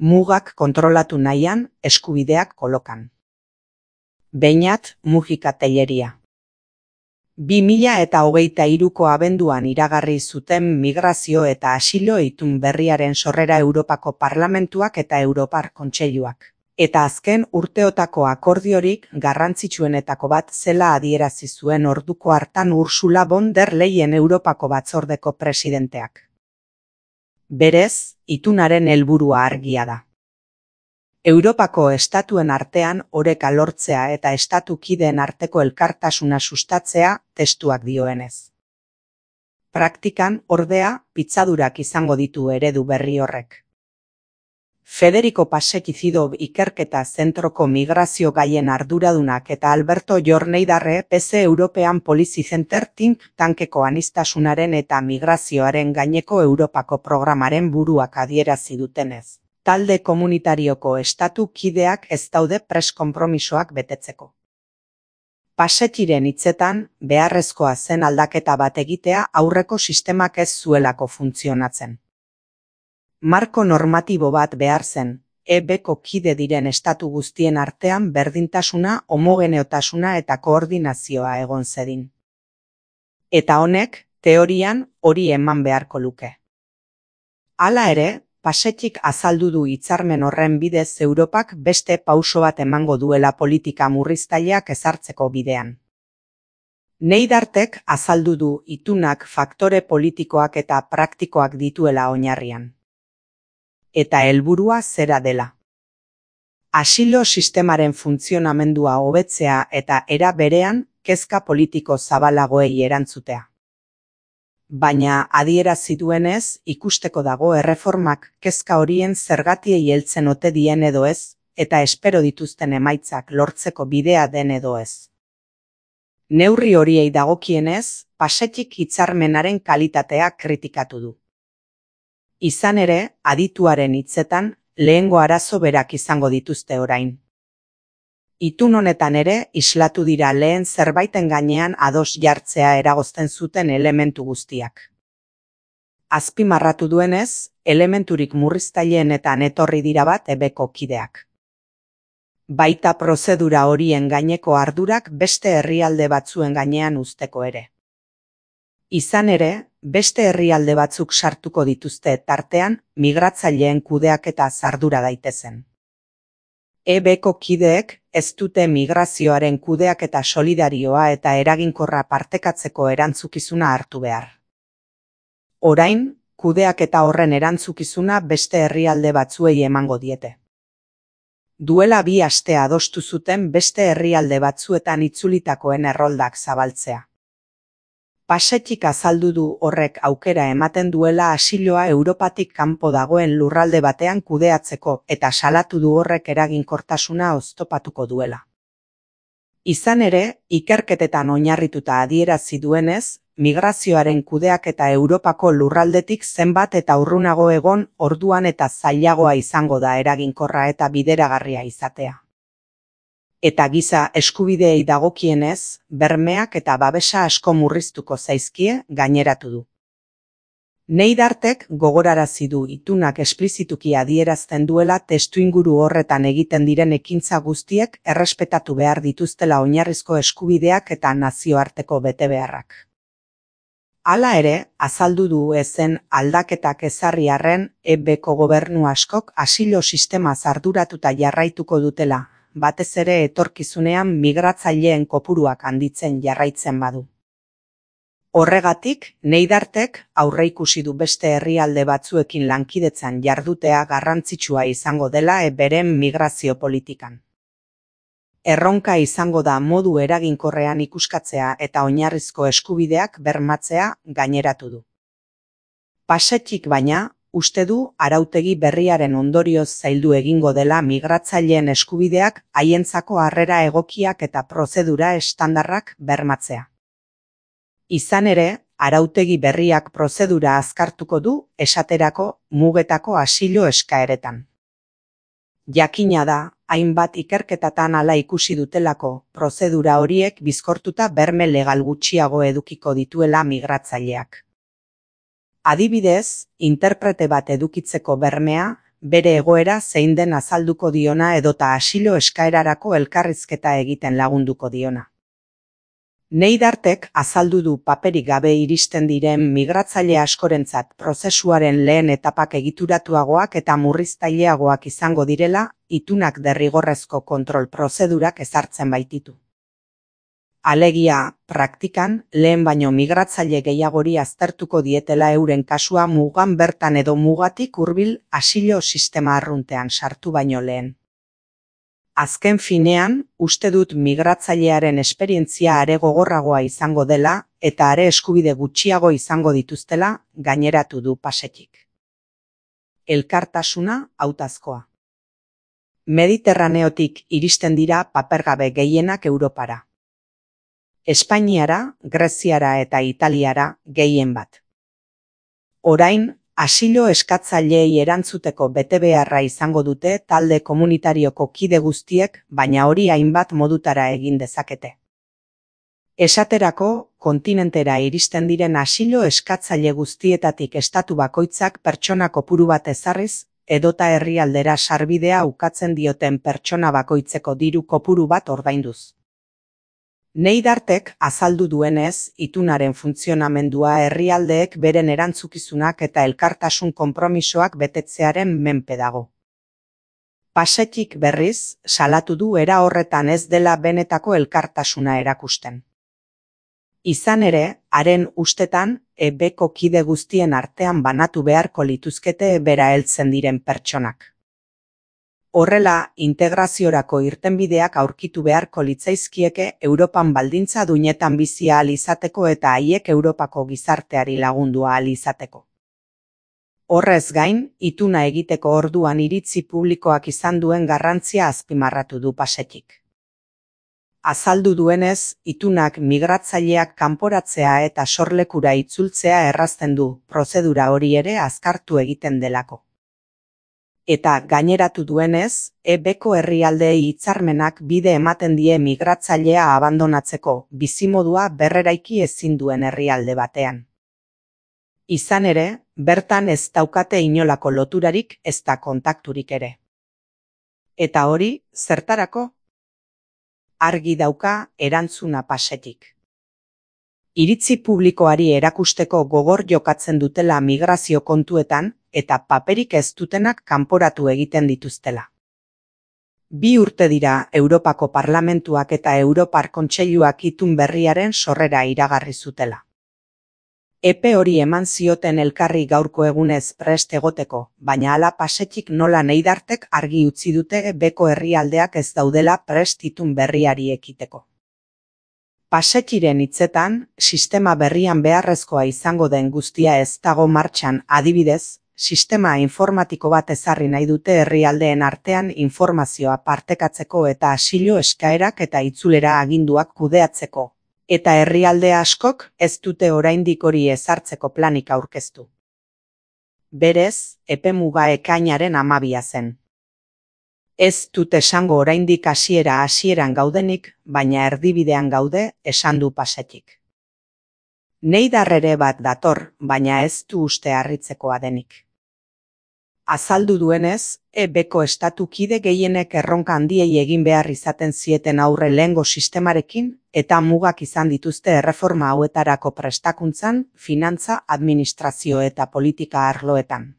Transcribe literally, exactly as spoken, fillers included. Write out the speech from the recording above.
Mugak kontrolatu nahian, eskubideak kolokan. Beñat Mujika Telleria. bi mila eta hogeita hiruko abenduan iragarri zuten migrazio eta asilo itun berriaren sorrera Europako Parlamentuak eta Europar Kontseiluak. Eta azken urteotako akordiorik garrantzitsuenetako bat zela adierazi zuen orduko hartan Ursula von der Leyen Europako Batzordeko presidenteak. Berez, itunaren helburua argia da. Europako estatuen artean oreka lortzea eta estatu kideen arteko elkartasuna sustatzea testuak dioenez. Praktikan, ordea, pitzadurak izango ditu eredu berri horrek. Federico Pasekizidob ikerketa zentroko migrazio gaien arduradunak eta Alberto Jorneidarre P C European Policy Center think tankeko anistasunaren eta migrazioaren gaineko Europako programaren buruak adierazi dutenez. Talde komunitarioko estatu kideak ez daude pres konpromisoak betetzeko. Pasetiren hitzetan, beharrezkoa zen aldaketa bat egitea aurreko sistemak ez zuelako funtzionatzen. Marko normatibo bat behar zen, E Bko kide diren estatu guztien artean berdintasuna, homogeneotasuna eta koordinazioa egon zedin. Eta honek, teorian, hori eman beharko luke. Hala ere, Pasetik azaldu du hitzarmen horren bidez Europak beste pauso bat emango duela politika murriztaileak ezartzeko bidean. Neidartek azaldu du itunak faktore politikoak eta praktikoak dituela oinarrian. Eta helburua zera dela. Asilo sistemaren funtzionamendua hobetzea eta era berean kezka politiko zabalagoei erantzutea. Baina adierazi duenez, ikusteko dago erreformak kezka horien zergatiei heltzen ote dien edo ez, eta espero dituzten emaitzak lortzeko bidea den edo ez. Neurri horiei dagokienez, Pasetik hitzarmenaren kalitatea kritikatu du. Izan ere, adituaren hitzetan, lehengo arazo berak izango dituzte orain. Itun honetan ere, islatu dira lehen zerbaiten gainean ados jartzea eragozten zuten elementu guztiak. Azpimarratu duenez, elementurik murriztailenetan etorri dira bat E Bko kideak. Baita prozedura horien gaineko ardurak beste herrialde batzuen gainean uzteko ere. Izan ere, beste herrialde batzuk sartuko dituzte tartean, migratzaileen kudeaketa ardura daitezen. E Bko kideek ez dute migrazioaren kudeaketa solidarioa eta eraginkorra partekatzeko erantzukizuna hartu behar. Orain, kudeaketa horren erantzukizuna beste herrialde batzuei emango diete. Duela bi aste adostu zuten beste herrialde batzuetan itzulitakoen erroldak zabaltzea. Pasetik azaldu du horrek aukera ematen duela asiloa Europatik kanpo dagoen lurralde batean kudeatzeko eta salatu du horrek eraginkortasuna oztopatuko duela. Izan ere, ikerketetan oinarrituta adierazi duenez, migrazioaren kudeaketa Europako lurraldetik zenbat eta urrunago egon orduan eta zailagoa izango da eraginkorra eta bideragarria izatea. Eta giza eskubideei dagokienez, bermeak eta babesa asko murriztuko zaizkie gaineratu du. Neidartek gogorarazi du itunak esplizituki adierazten duela testuinguru horretan egiten diren ekintza guztiek errespetatu behar dituztela oinarrizko eskubideak eta nazioarteko betebeharrak. Hala ere, azaldu du ezen aldaketak ezarri arren E Bko gobernu askok asilo sistemaz arduratuta jarraituko dutela, batez ere etorkizunean migratzaileen kopuruak handitzen jarraitzen badu. Horregatik, Neidartek aurreikusi du beste herrialde batzuekin lankidetzan jardutea garrantzitsua izango dela E Bren migrazio politikan. Erronka izango da modu eraginkorrean ikuskatzea eta oinarrizko eskubideak bermatzea gaineratu du. Pasetik baina, uste du arautegi berriaren ondorioz zaildu egingo dela migratzaileen eskubideak haientzako harrera egokiak eta prozedura estandarrak bermatzea. Izan ere, arautegi berriak prozedura azkartuko du esaterako mugetako asilo eskaeretan. Jakina da, hainbat ikerketatan hala ikusi dutelako, prozedura horiek bizkortuta berme legal gutxiago edukiko dituela migratzaileak. Adibidez, interprete bat edukitzeko bermea, bere egoera zein den azalduko diona edota asilo eskaerarako elkarrizketa egiten lagunduko diona. Neidartek azaldu du paperik gabe iristen diren migratzaile askorentzat prozesuaren lehen etapak egituratuagoak eta murriztaileagoak izango direla, itunak derrigorrezko kontrol prozedurak ezartzen baititu. Alegia, praktikan, lehen baino migratzaile gehiagori aztertuko dietela euren kasua mugan bertan edo mugatik hurbil asilo sistema arruntean sartu baino lehen. Azken finean, uste dut migratzailearen esperientzia are gogorragoa izango dela eta are eskubide gutxiago izango dituztela gaineratu du Pasetik. Elkartasuna hautazkoa. Mediterraneotik iristen dira papergabe gehienak Europara. Espainiara, Greziara eta Italiara gehien bat. Orain, asilo eskatzaileei erantzuteko betebeharra izango dute talde komunitarioko kide guztiek, baina hori hainbat modutara egin dezakete. Esaterako, kontinentera iristen diren asilo eskatzaile guztietatik estatu bakoitzak pertsona kopuru bat ezarriz, edota herrialdera sarbidea ukatzen dioten pertsona bakoitzeko diru kopuru bat ordainduz. Neidartek azaldu duenez, itunaren funtzionamendua herrialdeek beren erantzukizunak eta elkartasun konpromisoak betetzearen menpe dago. Pasetik berriz, salatu du era horretan ez dela benetako elkartasuna erakusten. Izan ere, haren ustetan, ebeko kide guztien artean banatu beharko lituzkete bera heltzen diren pertsonak. Horrela, integraziorako irtenbideak aurkitu beharko litzaizkieke Europan baldintza duinetan bizi ahal izateko eta haiek Europako gizarteari lagundu ahal izateko. Horrez gain, ituna egiteko orduan iritzi publikoak izan duen garrantzia azpimarratu du Pasetik. Azaldu duenez, itunak migratzaileak kanporatzea eta sorlekura itzultzea errazten du, prozedura hori ere azkartu egiten delako. Eta gaineratu duenez, ebeko herrialdeei hitzarmenak bide ematen die migratzailea abandonatzeko, bizimodua berreraiki ezin duen herrialde batean. Izan ere, bertan ez daukate inolako loturarik ezta kontakturik ere. Eta hori, zertarako? Argi dauka erantzuna Pasetik. Iritzi publikoari erakusteko gogor jokatzen dutela migrazio kontuetan, eta paperik ez dutenak kanporatu egiten dituztela. Bi urte dira Europako Parlamentuak eta Europar Kontseiluak itun berriaren sorrera iragarri zutela. Epe hori eman zioten elkarri gaurko egunez prest egoteko, baina hala Pasetik nola Neidartek argi utzi dute beko herrialdeak ez daudela prest itun berriari ekiteko. Pasetiren hitzetan, sistema berrian beharrezkoa izango den guztia ez dago martxan, adibidez, sistema informatiko bat ezarri nahi dute herrialdeen artean informazioa partekatzeko eta asilo eskaerak eta itzulera aginduak kudeatzeko. Eta herrialde askok ez dute oraindik hori ezartzeko planik aurkeztu. Berez, epemuga ekainaren hamabia zen. Ez dut esango oraindik hasiera hasieran gaudenik, baina erdibidean gaude, esan du Pasetik. Neidar ere bat dator, baina ez du uste harritzekoa denik. Azaldu duenez, ebeko estatu kide gehienek erronka handiei egin behar izaten zieten aurre lehengo sistemarekin, eta mugak izan dituzte erreforma hauetarako prestakuntzan, finantza, administrazio eta politika arloetan.